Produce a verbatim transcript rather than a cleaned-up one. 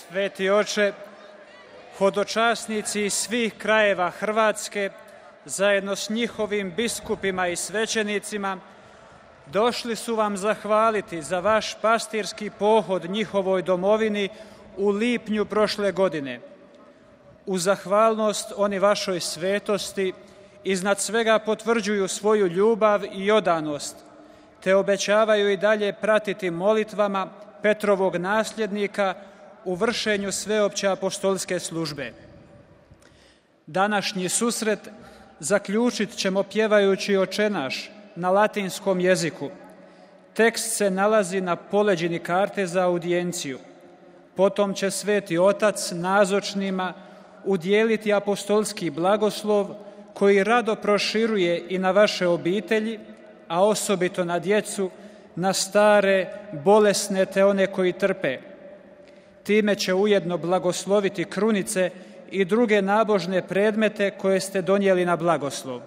Sveti oče, hodočasnici iz svih krajeva Hrvatske, zajedno s njihovim biskupima i svećenicima, došli su vam zahvaliti za vaš pastirski pohod njihovoj domovini u lipnju prošle godine. U zahvalnost oni vašoj svetosti iznad svega potvrđuju svoju ljubav i odanost, te obećavaju i dalje pratiti molitvama Petrovog nasljednika u vršenju sveopće apostolske službe. Današnji susret zaključit ćemo pjevajući Oče naš na latinskom jeziku. Tekst se nalazi na poleđini karte za audijenciju. Potom će Sveti Otac nazočnima udijeliti apostolski blagoslov koji rado proširuje i na vaše obitelji, a osobito na djecu, na stare, bolesne te one koji trpe. Time će ujedno blagosloviti krunice i druge nabožne predmete koje ste donijeli na blagoslov.